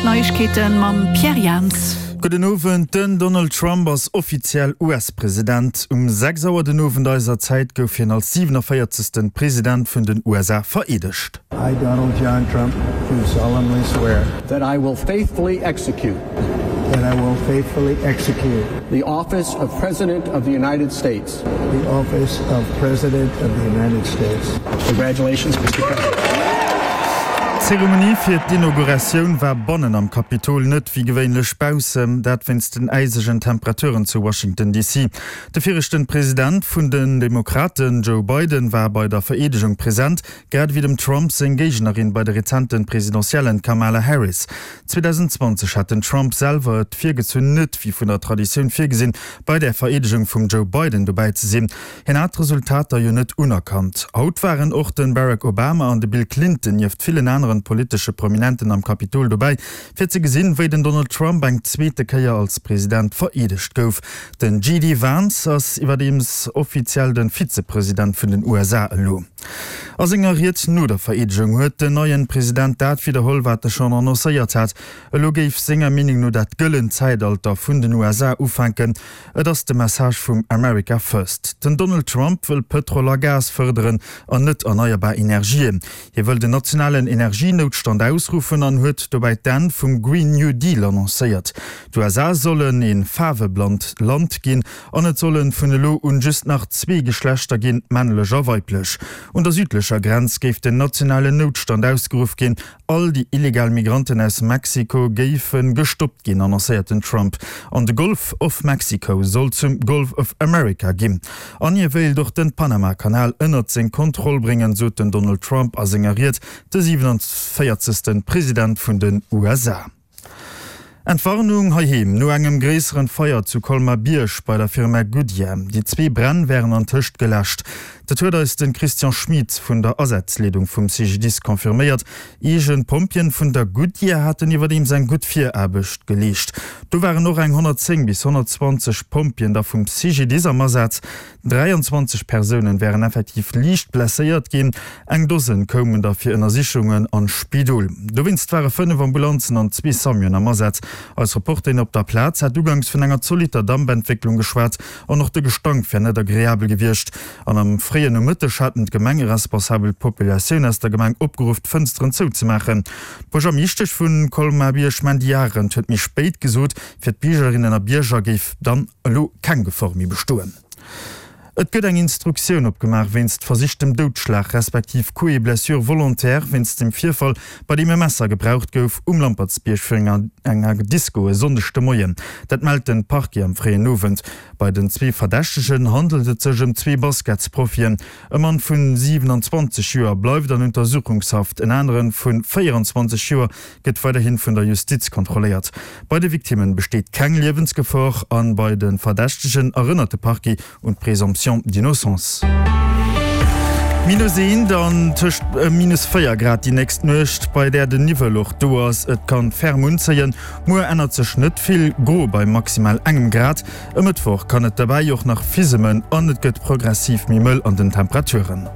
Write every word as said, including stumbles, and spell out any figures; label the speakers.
Speaker 1: D'Neiegkeete mam Pierre Jans.
Speaker 2: Gudden Owend, Den Donald Trump ass offiziell U S-President. Um sechs Auer den Owend eiser Zäit gouf hien als siewenevierzegsten President vun den U S A vereedegt.
Speaker 3: I, Donald John Trump, do solemnly swear
Speaker 4: that I will faithfully execute
Speaker 3: that I will faithfully execute
Speaker 4: the office of President of the United States.
Speaker 3: the office of President of the United States.
Speaker 4: Congratulations, Mister President.
Speaker 2: D'Zeremonie fir d'Inauguratioun war bannen am Kapitol, net wéi gewéinlech baussen, dat wéinst den äisegen Temperaturen zu Washington D C. De viregten President vun den Demokraten, Joe Biden, war bei der Vereedegung present, grad ewéi dem Trump seng Géignerin bei de rezenten Presidentiellen, Kamala Harris. zweedausendzwanzeg hat den Trump selwer et virgezunn, net wéi vun der Traditioun virgesinn, bei der Vereedegung vum Joe Biden dobäi ze sinn. Hien hat d'Resultater jo net unerkannt. Haut waren och de Barack Obama an de Bill Clinton nieft villen aneren politesche Prominenten am Kapitol dobäi, fir ze gesinn, wéi den Donald Trump eng zweete Kéier als President vereedegt gouf. Den J D Vance ass iwwerdeems offiziell de Vizepresident vun den U S A elo. A senger Ried no der Vereedegung huet den neien President dat widderholl, wat e schonn annoncéiert hat. Elo géif senger Meenung no dat gëllent Zäitalter vun den U S A ufänken. Et ass de Message vum America First. Den Donald Trump wëll Pëtrol a Gas fërderen an net erneierbar Energien. Hie wëll den nationalen Energienoutstand ausruffen an huet dobäi d'Enn vum Green New Deal annoncéiert. D'U S A sollen e faarweblannt Land ginn an et sollen vun elo un just nach zwee Geschlechter ginn, männlech a weiblech. Un der südlecher Grenz géif den nationalen Noutstand ausgeruff ginn. All déi illegal Migranten aus Mexiko géife gestoppt ginn, annoncéiert den Trump. An de Gulf of Mexico soll zum Gulf of America ginn. An hie wéilt och den Panama-Kanal ënnert seng Kontroll bréngen, sot den Donald Trump a senger Ried, de siewenevierzegsten President vun den U S A. Entwarnung heiheem no engem gréisseren Feier zu Colmar-Bierg bei der Firma Goodyear. Déi zwee Bränn wären antëscht geläscht. Dat huet eis de Christian Schmid vun der Asazleedung vum C G D I S confirméiert. Eegen Pompjeeën vun der Goodyear haten iwwerdeems eng gutt Viraarbecht geleescht. Do waren och eng honnertzéng bis honnertzwanzeg Pompjeeën da vum C G D I S am Asaz. dräianzwanzeg Persounen wären effektiv liicht blesséiert ginn. Eng Dosen koumen da fir Ënnersichungen an d'Spidol. Dowéinst ware fënnef Ambulanzen an zwee Samuen am Asaz. Eis Reporterin op der Plaz hat ugangs vun enger zolitter Dampentwécklung geschwat an och de Gestank wär net agreabel gewiescht. An am fréien Nomëtteg haten d'Gemengeresponsabel d'Populatioun aus der Gemeng opgeruff, d'Fënsteren zouzemaachen. D'Buergermeeschtesch vu Colmar-Bierg Mandy Arendt huet méi spéit gesot, fir d'Biergerinnen a Bierger géif dann elo keng Gefor méi bestoen. Et gëtt eng Instruktioun opgemaach wéinst versichtem Doudschlag respektiv Coups et blessures volontaires wéinst dem Virfall, bei deem e Messer gebraucht gouf um Lampertsbierg virun enger Disco e Sonndeg de Moien. Dat mellt de Parquet am fréien Owend. Bei den zwee Verdächtegen handelt et sech ëm zwee Basketsprofien. E Mann vun siewenanzwanzeg Joer bleift an Untersuchungshaft, en anere vu véieranzwanzeg Joer gëtt weiderhi vun der Justiz kontrolléiert. Bei de Victimme besteet keng Liewensgefor an bei de Verdächtegen erënnert de Parquet un d'Présomption d'innocence. Minus eent an tëscht minus véier Grad déi nächst Nuecht, bei där den Niwwel och do ass. Et kann ferm unzéien. Muer ännert sech net vill, gro bei maximal engem Grad. E Mëttwoch kann et derbäi och nach fisemen an et gëtt progressiv méi mëll an den Temperaturen.